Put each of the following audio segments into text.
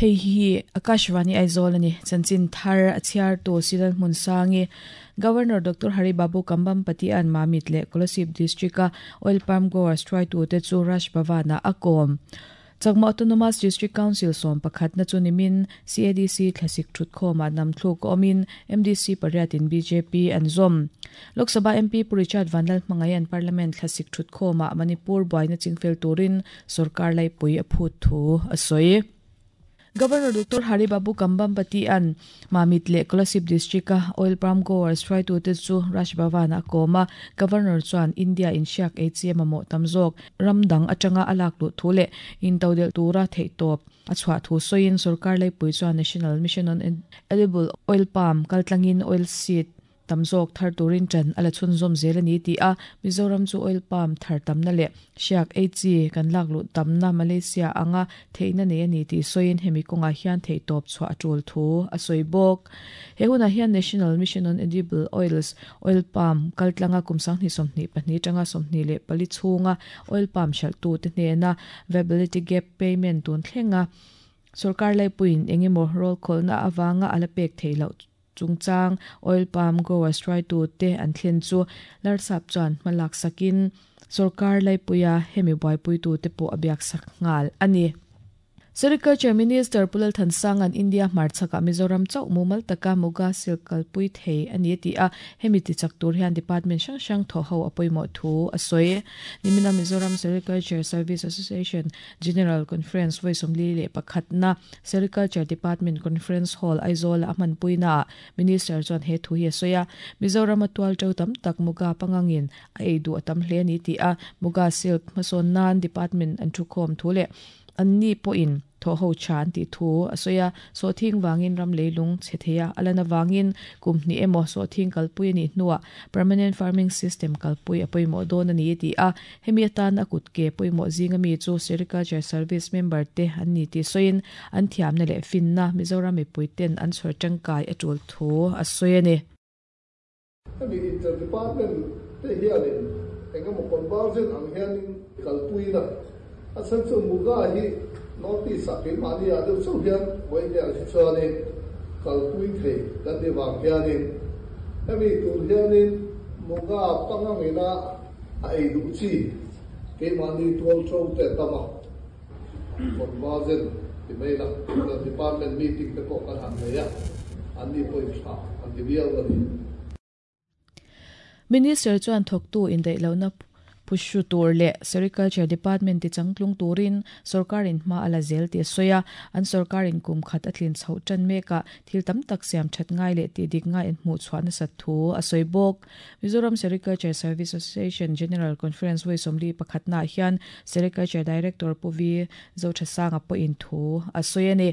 Hei hi Akashvani Aizawl a ni. Chanchin thar a chhiartu Silal Hmunsangi, Governor Doctor Hari Babu Kambhampati-a'n Mamit leh Kolasib District-a Oil Palm Growers hruaitute chu Raj Bhavan-ah a kawm. Chakma Autonomous District Council sawm pakhatna chu nimin CADC thlasik thutkhawmah namthluk awmin MDC pariatin bjp an zawm. Lok Sabha MP Pu Richard Vanlalhmangaia'n Parliament thlasik thutkhawmah Manipur buaina chingfel turin sorkar laipui a phut thu a sawi. Governor Doctor Hari Babu Kambhampati-a'n Mamit leh Kolasib District-a Oil Palm Growers hruaitute chu Raj Bhavan-ah a kawm a. Governor chuan India in hriak ei chi a mamawh tam zawk ram dang atanga a lak luh thu leh intodelh tura theihtawp a chhuah thu sawiin sorkar laipui chuan National Mission on Edible Oil Palm kaltlangin oil seed tam zawk thar turin ṭan a la chhunzawm zel a ni ti a, Mizoram chu oil palm thar tamna leh hriak ei chi kan lak luh tamna Malaysia anga theihna nei a ni tih sawiin hemi kawngah hian theihtawp chhuah a ṭul thu a sawi bawk. He hunah hian National Mission on Edible Oils, Oil Palm, kaltlanga kum 2022 atanga 24 chhunga oil palm hralhtute hnena Viability Gap Payment tun thlenga sorkar laipuiin engemaw rawlkhawlhna avanga a la pek theih loh chungchang Oil Palm Growers hruaitute an thlen chu Larsap chuan hma lak sakin sorkar laipuia hemi buaipuitute pawh a biaksak nghal a ni. Sericulture Minister Pu Lalthansanga'n India hmarchhakah Mizoram chauh mumal taka Muga silk kalpui thei a ni a ti a, hemi tichak tur hian department hrang hrang thawhho a pawimawh thu a sawi. Nimina Mizoram Sericulture Service Association General Conference vawi 41 na Sericulture Department Conference Hall Aizawl-a a hmanpuinaah Minister chuan he thu hi a sawi a, Mizoram-a tual to tam tak Muga pangangin a ei duh a tam hle a ni ti a, Muga silk hmasawn nan department an thukhawm thu leh Anni pawhin thawhho tha an tih thu a sawi a, sawhthing vangin ram leilung chhe thei a, a lan avangin kum hnih emaw sawhthing kalpui a nih hnuah Permanent Farming System kalpui a pawimawh dawn a ni a ti a, hemi atan a kut ke pawimawh zinga mi chu Sericulture Service member te an ni tih sawiin an thiamna leh finna Mizoram mipui ten an chhawr tangkai a tul thu a sawi a ni. Hemi inter-department te hianin eng emaw conversion ang hianin kalpuina a chhan chu Muga hi North East ah keimahni ah deuh chauh hian Vawiin hi chuanin kalpui thei kan ni vang hianin hemi tur hianin Muga pangangina a ei duh chi keimahni tual to te a tam a, conversion ti mai la inter-department meeting te pawh kan han nei a, anni pawhin tha an ti viau a ni. Minister chuan thawktu indaihlohna phuhru tur leh Sericulture Department tichangtlung turin sawrkarin hma a la zel tih a sawi a, an sawrkarin kum khat a tlin chhoh tan mekah thil tam tak siam that ngai leh tih dik ngai an hmuh chhuah nasat thu a sawi bawk. Mizoram Sericulture Service Association General Conference vawi 41 naah hian Sericulture Director Pu Vi Zothasanga pawhin thu a sawi a ni.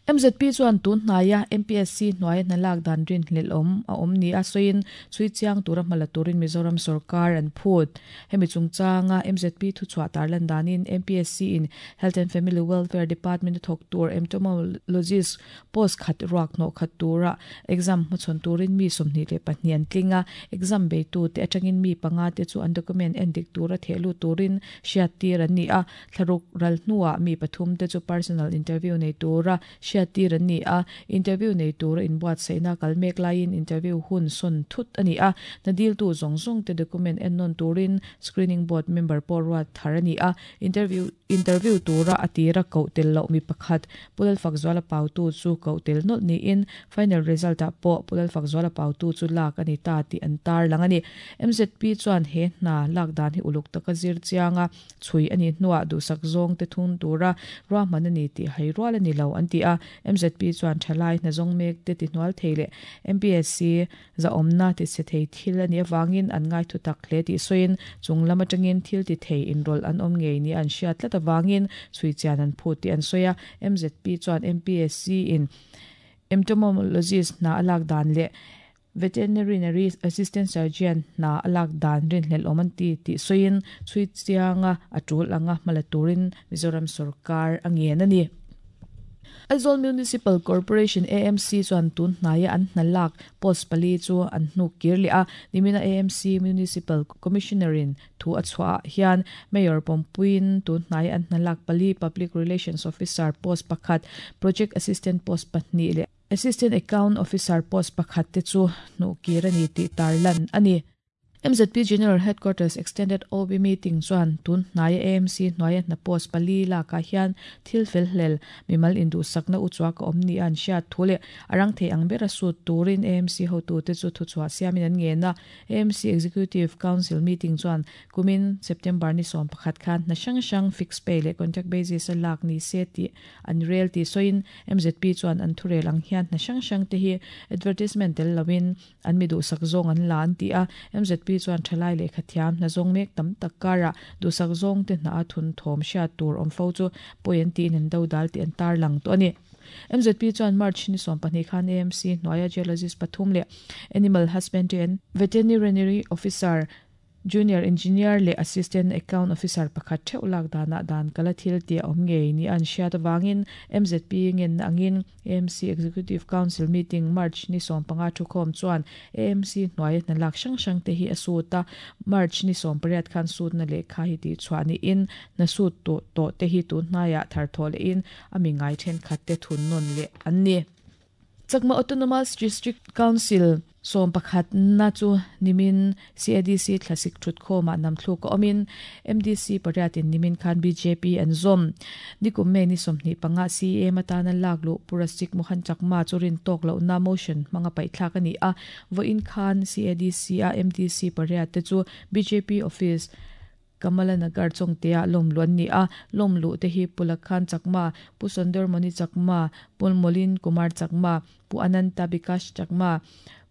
MZP chuan tun hnaia MPSC hnuaia hna lak dan rinhlelh awm a awm nia sawiin chhui chiang tura hma la turin Mizoram sawrkar an phut. Hemi chungchanga MZP thuchhuah tarlan danin MPSC in Health and Family Welfare Department a thawk tur Entomologist Post khat ruak hnawh khat tura exam hmachhawn turin mi 22 an tling a, exam beitute atangin mi panga te chu an document en dik tura theh lut turin hriattir an ni a, thlaruk ral hnuah mi pathum te chu personal interview nei tura hriattir an ni a, interview nei tura inbuatsaihna kal mek laiin interview hun sawn thut a ni a, hna diltu zawng zawng te document en nawn turin screening board member pawh ruat thar a ni a, interview interview tura a tira koh tel loh mi pakhat Pu Lalfakzuala pautu chu koh tel nawlh niin final result ah pawh Pu Lalfakzuala pautu chu lak a ni ta tih an tarlang a ni. MZP chuan he hna lak dan hi uluk taka zir chianga chhui a nih hnuah duhsak zawng te thung tura ruahman a ni tih hai rual a ni lo an ti a. MZP chuan thalai hna zawng mek te tihnual thei leh MPSC Zahawmna ti chhe thei thil a nih avangin an ngaithu tak hle tih sawiin chung lam atangin thil ti thei inrawlh an awm ngei nia an hriat tlat avangin chhui chian an phut tih an sawi a. MZP chuan MPSC in Entomologist hna a lak dan leh Veterinary Assistant Surgeon hna a lak dan rinhlelh awm an ti tih sawiin chhui chianga a tul anga hma la turin Mizoram sawrkar a ngen a ni. Aizawl Municipal Corporation, AMC, chuan tun hnaia an hna lak post pali chu an hnuk kir leh a. Nimina AMC Municipal Commissioner-in thu a chhuah ah hian Mayor pawmpuiin tun hnaia an hna lak pali Public Relations Officer post pakhat, Project Assistant post pahnih leh Assistant Account Officer post pakhat te chu hnuh kir a ni tih tarlan a ni. MZP General Headquarters Extended OB Meeting chuan tun hnaia AMC hnuaia hna post pali lakah hian thil fel hlel, mimal induhsakna uchuak a awm nia an hriat thu leh a rang thei ang bera sut turin AMC hotute chu thuchhuah siamin an ngen a. AMC Executive Council Meeting chuan kumin September ni 11 khan hna hrang hrang fixed pay leh contract basis a lak ni se tih an rel tih sawiin MZP chuan an thurel ang hian hna hrang hrang te hi advertisement tel loin An mi duhsak zawng an la an ti a, MZP chuan thalai lehkha thiam hna zawng mek tam tak karah duhsak zawng te hna a thun thawm hriat tur awm fo chu pawi an tiin an dodal tih an tarlang tawh a ni. MZP chuan March ni 12 khan AMC hnuaia Geologist pathum leh Animal Husbandry and Veterinary Officer Junior Engineer leh Assistant Account Officer pakhat theuh lak danah dan kala thil tih a awm ngei ni an hriat avangin MZP ngenna angin AMC Executive Council Meeting March ni 15 thukhawm chuan AMC hnuaia hna lak hrang hrang te hi a sut a, March ni 18 khan sutna lehkha hi tihchhuah niin hna sut tawh tawh te hi tun hnaiah tharthawh lehin a mi ngai thenkhat te thun nawn leh an ni. Chakma Autonomous District Council 11 na chu nimin CADC thlasik thutkhawmah namthluk a awmin MDC pariatin nimin khan bjp an zawm. Nikum May ni 25 CEM atana lak luh Pu Rasik Mohan Chakma chu rin tawk lohna motion hmanga paihthlak a ni a, vawiin khan CADC a MDC pariat te chu bjp office Kamala Nagar Chawngtea lawm luh an ni a, lawm luh te hi Pu Lakhan Chakma, Pu Sondor Moni Chakma, Pu Molin Kumar Chakma, Pu Ananta Bikash Chakma,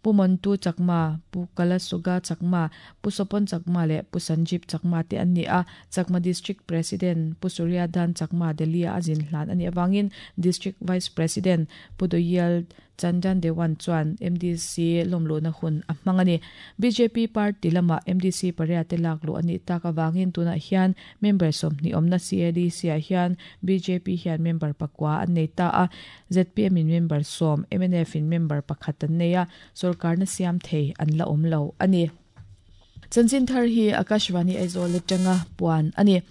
Pu Montu Chakma, Pu Kalasuga Chakma, Pu Sopon Chakma leh Pu Sanjib Chakma te an ni a. Chakma District President Pu Surya Dan Chakma Delhi-a a zin hlan a nih avangin District Vice President Pu Doyel Chandan Dewan chuan MDC lawmluhna hun a hmang a ni. Bjp party lamah MDC pariate lak luh a nih tak avangin tunah hian member 20 awmna CADC-ah hian bjp hian member pakua an nei ta a, zpm in member sawm, mnf in member pakhat an nei a, sorkarna siam thei an la awm lo a ni. Chanchin thar hi Akashvani Aizawl atanga puan a ni.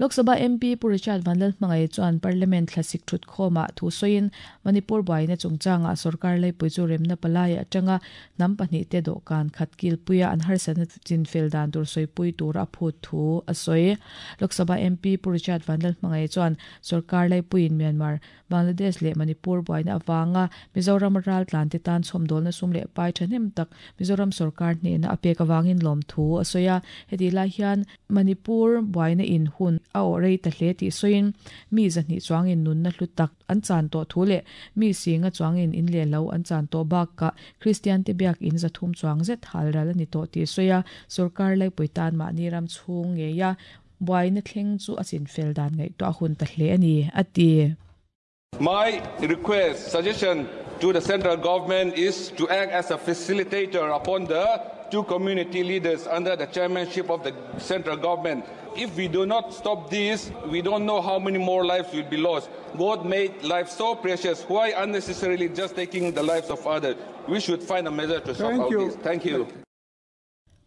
Lok Sabha MP Pu Richard Vanlalhmangaih chuan Parliament thlasik thutkhawmah thu sawiin Manipur buaina chungchangah sorkar laipui chu remna palai atanga hnam pahnihte dawhkan khat kilpuia an harsatna chinfel dan tur sawipui tura a phut thu a sawi. Lok Sabha MP Pu Richard Vanlalhmangaih chuan sorkar laipuiin Myanmar Bangladesh leh Manipur buaina avanga Mizoram raltlante tan chhawmdawlna sum leh pai thahnem tak Mizoram sorkar hnehna a pek avangin lawmthu a sawi a. Hetih lai hian Manipur buaina in hun a awh rei ta hle tih sawiin mi 200 chuangin nunna hlu tak an chan tawh thu leh mi singa chuangin in leh lo an chan tawh bakah Kristian te biak in 300 chuang zet halral a ni tawh tih sawi a. Sorkar laipui tan mahni ram chhung ngeia buaina thleng chu a chinfel dan ngaihtuah hun ta hle a ni, a ti. My request, suggestion to the central government is to act as a facilitator upon the two community leaders under the chairmanship of the central government. If we do not stop this, we don't know how many more lives will be lost. God made life so precious. Why unnecessarily just taking the lives of others? We should find a measure to stop Thank all you. this. Thank you.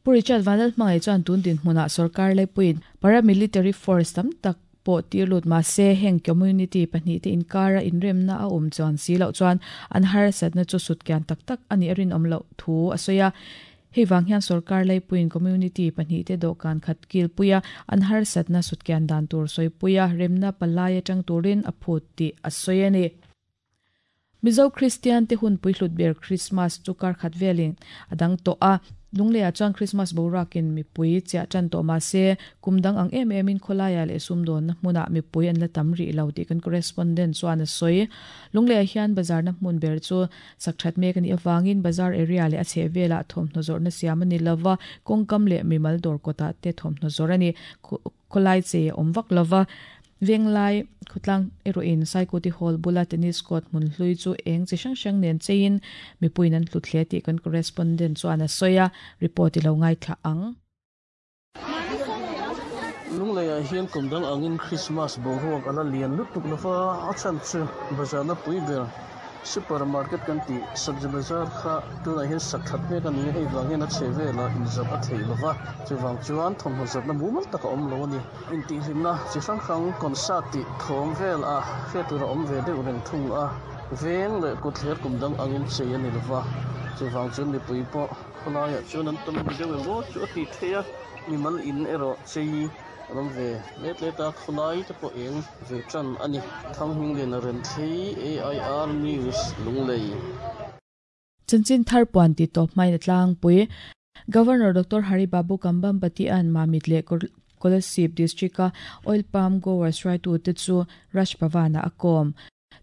Pu Richard Vanlalhmangaih chuan tun dinhmunah sorkar laipuiin paramilitary force tam tak pawh tir lut mah se heng community pahnih te inkara inremna a awm chuan si loh chuan an harsatna chu sutkian tak tak a nih a rinawm loh thu a sawi a. Hei vang hian sorkar laipuiin community pahnih te dawhkan khat kilpuia an harsatna sutkian dan tur sawipuia remna palai atang turin a phut tih a sawi a ni. Mizo Kristian te hun puihlut ber Krismas chu kar khat velin a dang tawh a, Lungleiah chuan Krismas boruakin mipui chiah tan tawh mah se kum dang ang em emin khawlaiah leh sumdawnna hmunah mipui an la tam rih lo tih kan correspondent chuan a sawi. Lungleiah hian bazarna hmun ber chu sak that mek a nih avangin bazar area leh a chheh velah thawmhnaw zawrhna siam a ni lova, kawngkam leh mimal dawr kawtah te thawmhnaw zawrh a ni. Khawlai chei a awm vak lova, Venglai khawtlang erawhin Saikuti Hall bula tennis court hmun hlui chu eng chi hrang hrang nen cheiin mipuiin an hlut hle tih kan correspondent chuan a sawi a, report i lo ngaithla ang. Lungleiah hian kum dang angin Krismas boruak a la lian lutuk lova, a chhan chu bazar na pui ber super market kan tih Sabzi Bazar kha tunah hian sak that mek a ni a, hei vang hian a chhe velah inzawrh a theih lova, chuvang chuan thawmhnaw zawrhna mumal tak a awm lo a ni. Intihhlimna chi hrang hrang concert tih thawm vel a hriat tur a awm ve deuh reng thung a, veng leh kutthler kum dang angin chei a ni lova, chuvang chuan mipui pawh khawlaiah chuan an tam deuh emaw chu a tih theih a. Mimal in erawh chei an awm ve let let a, khawlai te pawh eng ve tan a ni. Thanghmingliana Renthlei, AIR News, Lunglei. Chanchin thar puan ti tawp hmain a tlangpui. Governor Doctor Hari Babu Kambhampati-a'n Mamit leh Kolasib District-a Oil Palm Growers hruaitute chu Raj Bhavan-ah a kawm.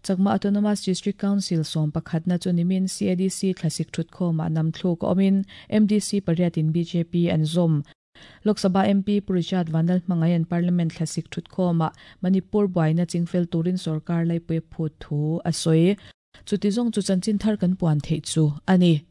Chakma Autonomous District Council sawmpakhatna chu nimin CADC thlasik thutkhawmah namthluk a awmin MDC pariatin bjp an zawm. Lok Sabha MP Pu Richard Vanlal hmangaian Parliament thlasik thutkhawmah Manipur buaina chingfel turin sorkar laipui phut thu a sawi. Chuti zawng chu chanchin thar kan puan theih chu a ni.